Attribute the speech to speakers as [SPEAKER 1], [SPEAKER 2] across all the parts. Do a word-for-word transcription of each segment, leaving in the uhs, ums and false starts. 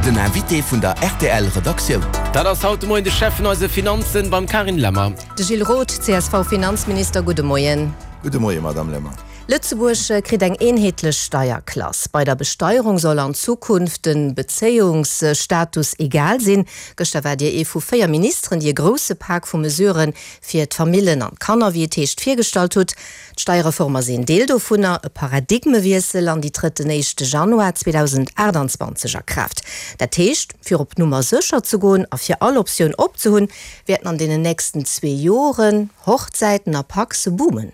[SPEAKER 1] Den Invité vun der R T L Redaktioun.
[SPEAKER 2] Dat ass haut de Moien de Chef vun eise Finanzen beim Carine Lemmer.
[SPEAKER 3] De Gilles Roth, C S V-Finanzminister, gudde Moien.
[SPEAKER 4] Gudde Moien, Madame Lemmer.
[SPEAKER 3] Lëtzebuerg kritt eng eenheetlech Steierklass. Bei der Besteierung soll an Zukunft den Bezéiungsstatus egal sinn. Gëschter waart Dir ee vu véier Ministeren, déi e grousse Pak vu Mesuren fir d'Famillen an d'Kanner, wéi et heescht, virgestallt hutt. D'Steierreform ass een Deel dovunner, e Paradigmewiessel an déi trëtt den éischte Januar zweedausendaachtanzwanzeg a Kraaft. Dat heescht, fir op Nummer sécher ze goen a fir all Optioun op ze hunn, wäerten an deenen nächsten zwee Joren Hochzäiten a Pacse boomen.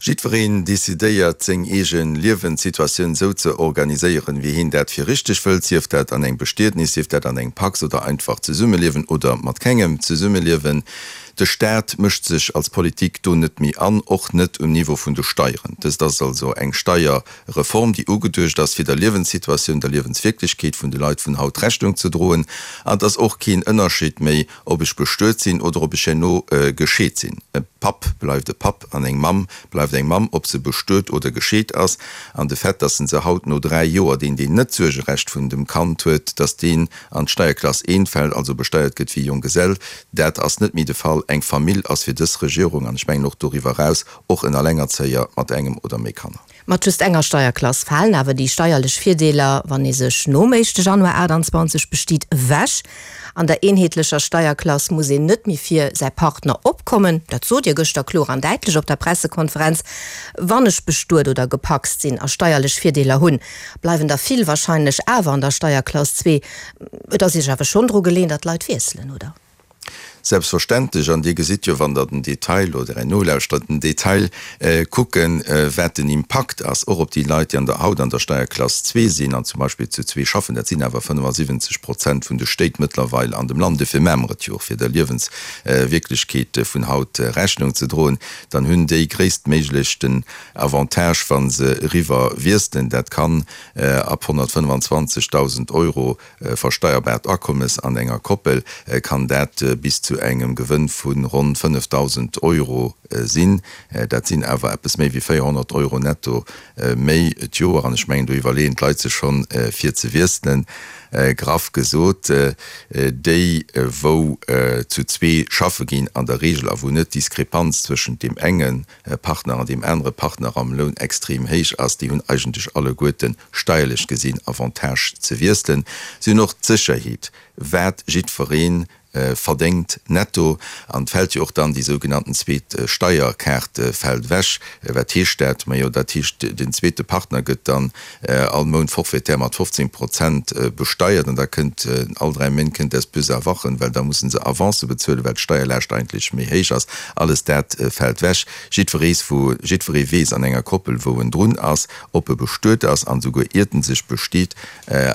[SPEAKER 4] Jiddwereen decidéiert seng eege Liewenssituatioun sou ze organiséieren, wéi hien dat fir richteg wëllt, sief dat an engem Bestietnis, sief dat an engem Pacs oder einfach zesummeliewen oder mat kengem zesummeliewen. De Staat mëscht sech als Politik do net méi an, och net um Niveau vun de Steieren. Dëst ass also eng Steierreform, déi ugeduecht ass, fir der Liewenssituatioun, der Liewenswierklechkeet vun de Leit vun haut Rechnung ze droen. An et ass och keen Ënnerscheed méi, ob ech bestuet sinn oder ob ech herno gescheet sinn. E Papp bleift e Papp an eng Mamm bleift eng Mamm, ob se bestuet oder gescheet ass. An de Fait, dass se haut no dräi Joer, deen deen net d'Suergerecht vun dem Kand huet, dass deen an d'Steierklass eent fält, also besteiert gëtt wéi Jonggesell, dat ass net méi de Fall. Eng Famill ass fir dës Regierung, an ech mengen och doriwwer eraus, och en Allengerzéier mat engem oder méi Kanner.
[SPEAKER 3] Mat just enger Steierklass falen awer déi steierlech Virdeeler, wann ee sech nom éischte Januar achttanzwanzeg bestiet, ewech. An der eenheetlecher Steierklass muss een net méi fir säi Partner opkommen. Dat sot Dir gëschter kloer an däitlech op der Pressekonferenz. Wann ech bestuet oder gepacst sinn a steierlech Virdeeler hunn, bleiwen der vill warscheinlech awer an der Steierklass zwee. Et ass Iech awer schonn dru geleeën, datt d'Leit wiesselen, oder?
[SPEAKER 4] Selbstverständlech, an Dir gesitt jo, wann Der den Detail oder en nolauschtert, den Detail kucken, wat den Impakt ass, och op déi Leit, déi an der haut an der Steierklass zwee sinn an zum Beispill zu zwee schaffen. Dat sinn awer fënnefasiwwenzeg Prozent vun de Stéit mëttlerweil an dem Land. Dofir maache mer et jo och, fir der Liewenswierklechkeet vun haut Rechnung ze droen. Dann hunn déi gréisstméiglech den Avantage, wa se eriwwer wiesselen. Dat kann ab honnertfënnefenzwanzegdausend Euro versteierbaart Akommes an enger Koppel kann dat bis zu engem Gewënn vu ronn fënnefdausend Euro sinn. Dat sinn awer eppes méi wéi véierhonnert Euro netto méi d'Joer. An ech mengen, do iwwerleeën d'Leit sech schonn, fir ze wiesselen. Graff gesot, déi wou zu zwee schaffe ginn an der Regel a wou net d'Diskrepanz zwëschent deem enge Partner an deem anere Partner am Loun extrem héich ass, déi hunn eigentlech alleguerten steierlech gesinn Avantage ze wiesselen. Si hunn och d'Sécherheet, wat jiddweree verdéngt netto. An et fält jo och dann déi sougenannten zweet Steierkaart fält ewech. Wat heescht dat? Majo, dat heescht, den zweete Partner gëtt dann all Mount forfaitaire mat fofzéng Prozent besteiert an da kënnt all dräi Méint kënnt das böse Erwachen, well da musse se Avancë bezuelen, well d'Steierlaascht eigentlech méi héich ass. Alles dat fält ewech. Jiddwerees wou, jiddweree weess an enger Koppel, wou en drun ass, ob e bestuet ass an esouguer iert en sech bestiet.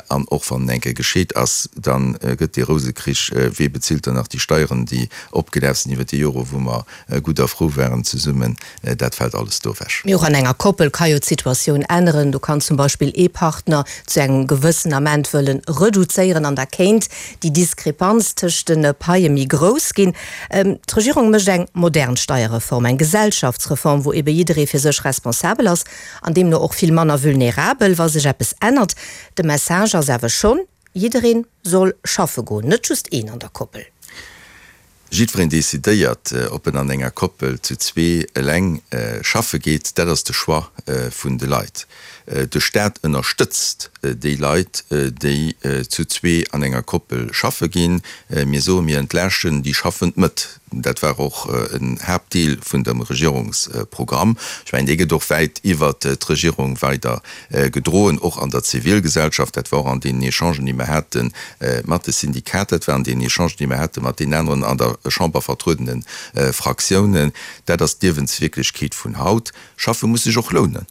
[SPEAKER 4] An och wann en eng Kéier gescheet ass, da gëtt dee Rousekrich, wee bezilt dann nach déi Steieren, déi opgelaf sinn iwwer déi Jore wou mer gutt a frou waren zesummen, dat fält alles do ewech.
[SPEAKER 3] Mee och an enger Koppel ka jo d'Situatioun änneren. Do kann zum Beispill ee Partner zu engem gewëssen Ament wëllen reduzéieren an da kéint déi Diskrepanz tëscht de Paie méi grouss ginn. D'Regierung mécht eng modern Steierreform, eng Gesellschaftsreform, wou ebe jidderee fir sech responsabel ass an deemno och vill manner vulnerabel, wa sech eppes ännert. De Message ass awer schonn, Jiddereen soll schaffe goen, net just een an der Koppel.
[SPEAKER 4] Jiddwereen decidéiert, ob en an enger Koppel, zu zwee, eleng schaffe geet. Dat ass de Choix vun de Leit. De Staat ënnerstëtzt déi Leit, déi zu zwee an enger Koppel schaffe ginn. Mir soen, mir entlaaschten déi schaffend Mëtt. Dat war och en Haaptdeel vun dem Regierungsprogramm. Ech mengen, dee gëtt och wäit iwwert d'Regierung weider gedroen, och an der Zivilgesellschaft. Dat war och an deenen Echangen, déi mer hate mat de Syndikater, dat war an deenen Echangen, déi mer hate mat deenen aneren an der Chamber vertruedene Fraktiounen. Dat ass d'Liewenswierklechkeet vun haut. Schaffe muss sech och lounen.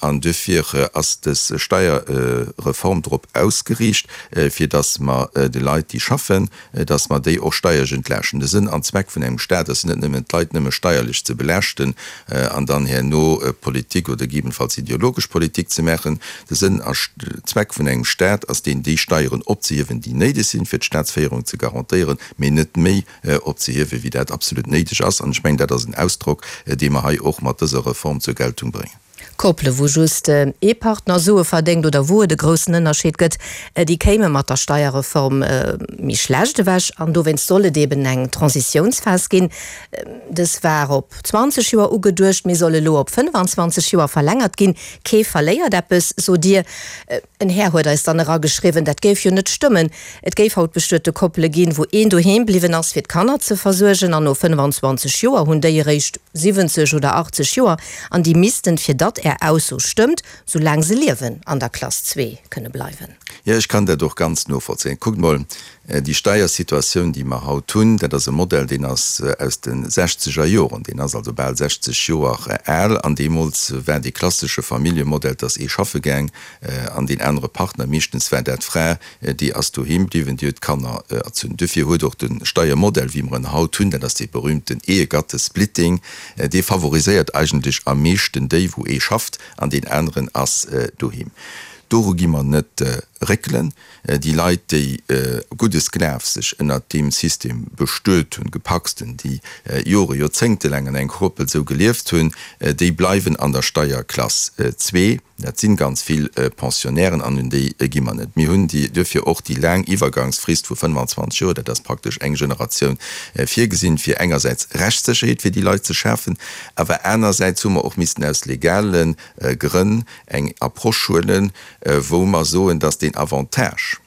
[SPEAKER 4] An duerfir ass dës Steierreform drop ausgeriicht, fir datt mer de Leit, déi schaffen, datt mer déi och steierlech entlaaschten. De Sënn an Zweck vun engem Staat ass net nëmmen, d'Leit nëmme steierlech ze belaaschten an dann herno Politik oder gegebenenfalls ideologesch Politik ze maachen. De Sënn a Zweck vun engem Staat ass deen, déi Steieren opzehiewen, déi néideg sinn, fir d'Staatsféierung ze garantéieren, mee net méi opzehiewen, wéi dat absolut néideg ass. An ech mengen, dat ass en Ausdrock, dee mer hei och mat dëser Reform zur Geltung bréngen.
[SPEAKER 3] Koppele wou just ee Partner Sue verdéngt oder wou et e groussen Ënnerscheed gëtt, déi kéime mat der Steierreform méi schlecht ewech an dowéinst soll et eben eng Transitiounsphas ginn. Dës war op zwanzeg Joer ugeduecht, mee soll elo op fënnefanzwanzeg Joer verlängert ginn. Kee verléiert eppes, sot Dir. En Här huet eis dann erageschriwwen, dat géif jo net stëmmen. Et géif haut bestuete Koppele ginn, wou een doheem bliwwen ass, fir d'Kanner ze versuergen, an no fënnefanzwanzeg Joer hunn déi eréischt siwwenzeg oder achtzeg Joer an déi missten, fir datt Är Ausso stëmmt, sou laang se liewen, an der Klass zwee kënne bleiwen.
[SPEAKER 4] Jo, ech kann dat och ganz novollzéien. Kuckt mol, déi Steiersituatioun, déi mer haut hunn, dat ass e Modell, deen ass aus de sechzeger Joren, deen ass also bal sechzeg Joer al. An deemools war dee klassesche Familljemodell, dass ee schaffe gaang an deen anere Partner, meeschtens war dat d'Fra, déi ass doheem bliwwen, déi huet d'Kanner erzunn. Duerfir huet och de Steiermodell, wéi mer en haut hunn, dat ass dee berühmten Ehegattesplitting, dee favoriséiert eigentlech am meeschten déi, wou ee schafft an deen aneren ass doheem. Doru gi mer net réckelen. Déi Leit, déi guddes Glaf sech ënnert deem System bestuet hunn, gepacst hunn, déi Jore, joerzéngtelaang an engem Koppel esou gelieft hunn, déi bleiwen an der Steierklass zwee. Dat si ganz vill Pensionnairen an un déi gi mer net. Mir hunn duerfir och déi laang Iwwergangsfrist vu fënnefanzwanzeg Joer, dat ass praktesch eng Generatioun, virgesinn, fir engersäits Rechtssécherheet fir déi Leit ze schafen, awer anersäits hu mer och missten aus legale Grënn eng Approche huelen, wou mer soen, dass deen Avantage,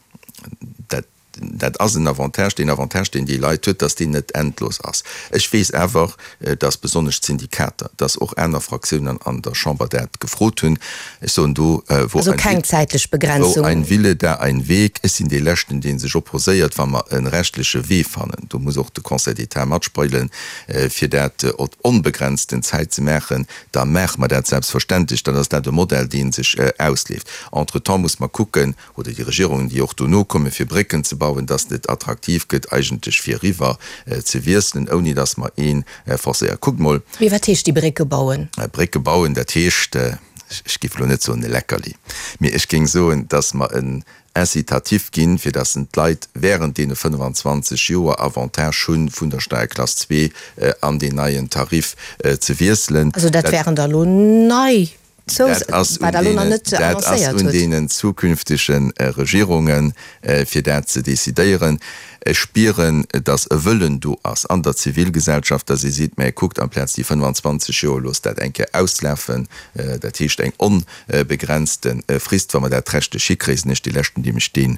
[SPEAKER 4] dat, dat ass en Avantage, deen Avantage, deen déi Leit huet, dass deen net endlos ass. Ech weess awer, dass besonnesch d'Syndikater, dass och aner Fraktiounen an der Chamber dat gefrot hunn. Ech soen do, wo
[SPEAKER 3] Also keng zäitlech Begrenzung.
[SPEAKER 4] Wo ein Wille, da ein Weg. Ech sinn dee Leschten, dee sech opposéiert, wa mer e rechtleche Wee fannen, do muss och de Conseil d'État matspillen, fir dat op onbegrenzten Zäit ze maachen, da maache mer dat selbstverständlech. Dann ass dat e Modell, dee sech ausleeft. Entretemps muss mer kucken, oder déi Regierungen, déi och dono kommen, fir Brécken ze bauen, dass et attraktiv gëtt, eigentlech fir eriwwer ze wiesselen, ouni dass mer ee forcéieren. Kuckt mol.
[SPEAKER 3] Mee wat heescht déi Brécke bauen?
[SPEAKER 4] Brécke bauen, dat heescht, ech géif elo net soen e Leckerli, mee ech géing soen, dass mer en Incitatif ginn, fir dass d'Leit während deene fënnefanzwanzeg Joer Avantage hu vun der Steierklass zwee an deen neien Tarif ze wiesselen.
[SPEAKER 3] Also dat wären da elo nei
[SPEAKER 4] Dat ass un deenen zukünftege Regierungen, fir dat ze decidéieren. Ech spieren, datt e Wëllen do ass an der Zivilgesellschaft, datt ee seet, Mä kuckt, amplaz déi fënnefanzwanzeg Joer, loosst dat eng Kéier auslafen, dat heescht eng onbegrenzte Frist. Wa mer dat rechtlech hikréien, sinn ech dee Leschten, dee mech deem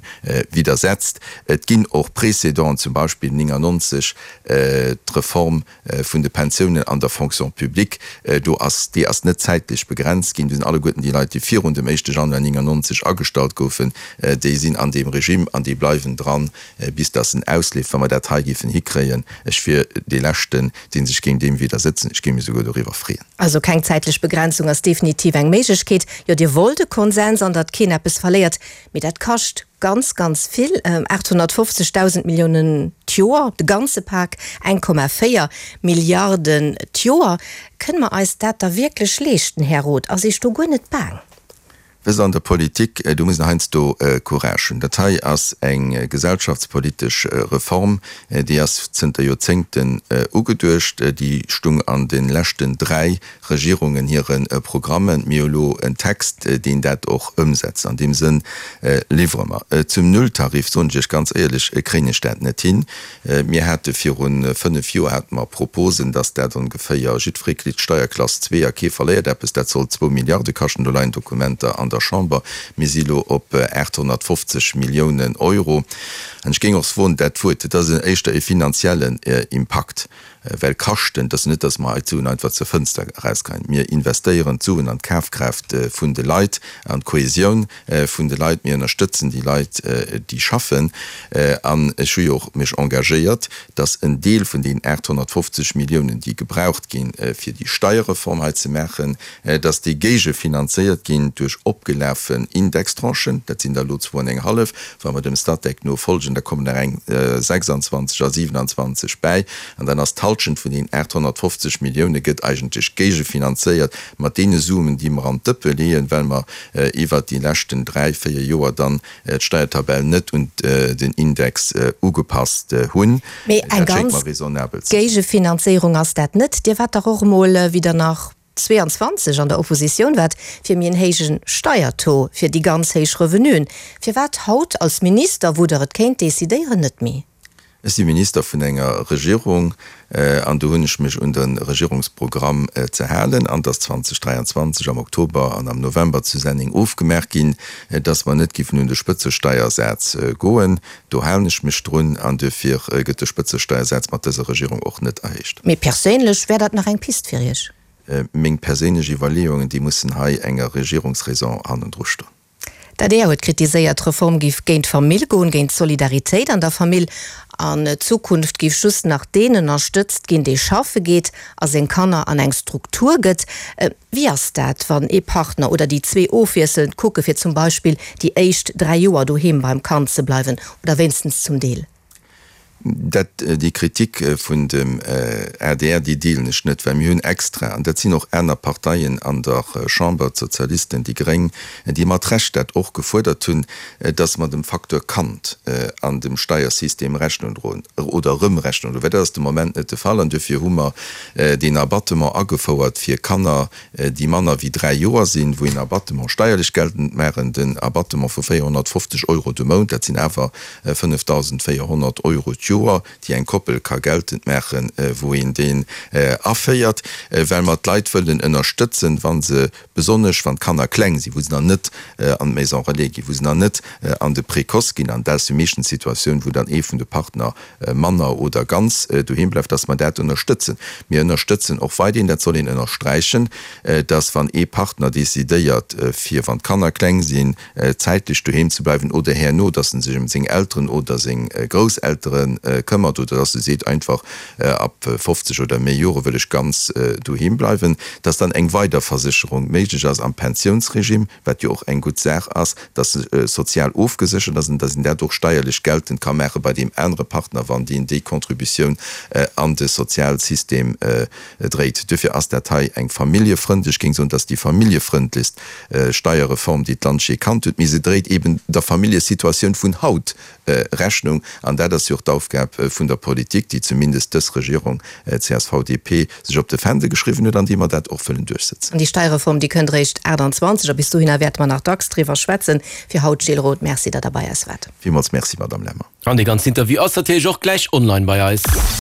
[SPEAKER 4] widdersetzt. Et ginn och Précédenten, zum Beispill néngannonzeg d'Reform vun de Pensiounen an der Fonction publique, do ass, déi ass net zäitlech begrenzt ginn. Do sinn alleguerten déi Leit, déi virun dem éischte Januar néngannonzeg agestallt goufen, déi sinn an deem Regime an déi bleiwen dran, bis dass en ausleeft. Wa mer dat hei géifen hikréien, ech wier dee Leschten, dee sech géing deem widdersetzen, ech géing mech esouguer doriwwer freeën.
[SPEAKER 3] Also keng zäitlech Begrenzung ass definitiv eng Méiglechkeet. Jo, Dir wollt e Konsens an datt keen eppes verléiert, mee dat kascht ganz, ganz vill, aathonnertfofzegdausend Milliounen d'Joer, de ganze Pak eng Komma véier Milliarden d'Joer. Kënne mer eis dat da wierklech leeschten, Här Roth? Ass Iech do guer net baang?
[SPEAKER 4] Wësst Der, an der Politik, do muss een heiansdo Courage hunn. Dat hei ass eng gesellschaftspolitesch Reform, déi ass zënter Joerzéngten ugeduecht. Déi stung an de leschten dräi Regierungen hire Programmen. Mir hu lo en Text, deen dat och ëmsetzt. An deem Sënn liwwere mer. Zum Nulltarif soen ech Iech ganz éierlech, kréien ech dat net hin. Mir hate viru fënnef Joer hate mer Proposen, dass dat ongeféier jiddweree kritt Steierklass zwee a kee verléiert eppes. Dat sollt zwou Milliarde kaschten. Do leien Dokumenter an der Chamber. Mir si lo op aathonnertfofzeg Milliounen Euro. An ech géing och soen, dat Wuert, dat ass éischter e finanziellen Impakt. Well kaschten, et ass net, datt mer hei d'Suen einfach zur Fënster erausgeheien. Mir investéieren d'Suen an d'Kafkraaft vun de Leit, an d'Kohesioun vun de Leit. Mir ënnerstëtzen déi Leit, déi schaffen. An ech hu jo och mech engagéiert, datt en Deel vun deenen aathonnertfofzeg Milliounen, déi gebraucht ginn, fir déi Steierreform hei ze maachen, datt déi géigefinanzéiert ginn duerch opgelafen Indextranchen. Dat sinn der elo zwou an eng hallef. Wa mer dem Statec no folgen, da kommen nach eng sechsandzwanzeg a siewenandzwanzeg bäi. An dann ass d'Halschent D'Halschent vun deenen aathonnertfofzeg Millioune gëtt eigentlech géigefinanzéiert mat deene Suen, déi mer an d'Dëppe leeën, well mer iwwert déi leschten dräi, véier Joer dann d'Steiertabell net un den Index ugepasst hunn.
[SPEAKER 3] Mee eng ganz Géigefinanzéierung ass dat net. Dir waart dach och emol, wéi Der nach zweitausendzweiundzwanzeg an der Oppositioun waart, fir méi en héije Steiertaux fir déi ganz héich Revenuen. Firwat haut als Minister, wou Der et kéint decidéieren, net méi?
[SPEAKER 4] Ech si Minister vun enger Regierung an do hunn ech mech un de Regierungsprogramm ze halen. An et ass zweitausenddräianzwanzeg am Oktober an am November zu Senneng ofgemaach ginn, dass mer net géifen un de Spëtzesteiersaz goen. Do halen ech mech drun an duerfir gëtt de Spëtzesteiersaz mat dëser Regierung och net erhéicht.
[SPEAKER 3] Mee perséinlech, wär dat nach eng Pist fir Iech?
[SPEAKER 4] Meng perséinlech Iwwerleeungen, déi mussen hei enger Regierungsraison hannendru stoen.
[SPEAKER 3] D'adr huet kritiséiert, d'Reform géif géint d'Famill goen, géint d'Solidaritéit an der Famill. An Zukunft géif just nach deen ënnerstëtzt ginn, dee schaffe geet a seng Kanner an eng Struktur gëtt. Wéi ass dat, wann ee Partner oder déi zwee ofwiesselnd kucke fir zum Beispill déi éischt dräi Joer doheem beim Kand ze bleiwen oder wéinstens zum Deel?
[SPEAKER 4] Dat, déi Kritik vun dem adr, déi deelen ech net, well mir hunn extra, an dat sinn och aner Parteien an der Chamber, d'Sozialisten, déi Gréng, déi mat Recht dat och gefuerdert hunn, dass mer dem Facteur Kand an dem Steiersystem Rechnung droen oder erëm Rechnung droen, well dat ass de Moment net de Fall. An duerfir hu mer deen Abattement agefouert fir Kanner, déi manner wéi dräi Joer sinn, wou een Abattement steierlech geltend maachen, den Abattement vu véierhonnertfofzeg Euro de Mount, dat sinn awer fënnefdausendvéierhonnert Euro d'Joer, déi eng Koppel ka geltend maachen, wou een deen aféiert, well mer d'Leit wëllen ënnerstëtzen, wa se, besonnesch wann d'Kanner kleng sinn, wou se nach net an d'Maison relais ginn, wou se nach net an de Précoce ginn, an dat ass jo meeschtens d'Situatioun, wou dann ee vun de Partner manner oder ganz doheem bleift, dass mer dat ënnerstëtzen. Mir ënnerstëtzen och weiderhin, dat soll een ënnersträichen, dass wann ee Partner decidéiert, fir, wann d'Kanner kleng sinn, zäitlech doheem ze bleiwen oder herno, dass en sech ëm seng Elteren oder seng Grousseltere këmmert oder dass e seet einfach, ab fofzeg oder méi Jore wëll ech ganz doheem bleiwen, dass dann eng weider Versécherung méiglech ass am Pensiounsregime, wat jo och eng gutt Saach ass, dass se sozial ofgeséchert ass an dass een dat och steierlech geltend ka maache bei deem anere Partner, wann deen déi Contributioun an de Sozialsystem dréit. Duerfir ass dat hei eng familljefrëndlech, ech géing soen, dat ass déi familljefrëndlechst Steierreform, déi d'Land jee kannt huet, mee se dréit eeben der Familljesituatioun vun haut Rechnung. An dat ass jo och d'Aufgab vun der Politik, déi zumindest dës Regierung, C S V D P, sech op de Fändel geschriwwen huet an déi mer dat och wëllen duerchsetzen.
[SPEAKER 3] An déi Steierreform, déi kënnt eréischt achtanzwanzeg, a bis dohinner wäerte mer nach dacks driwwer schwätzen. Fir haut, Gilles Roth, Merci, datt Der bei eis waart.
[SPEAKER 4] Villmools Merci, Madame Lemmer.
[SPEAKER 2] An dee ganzen Interview ass natierlech och gläich online bei eis.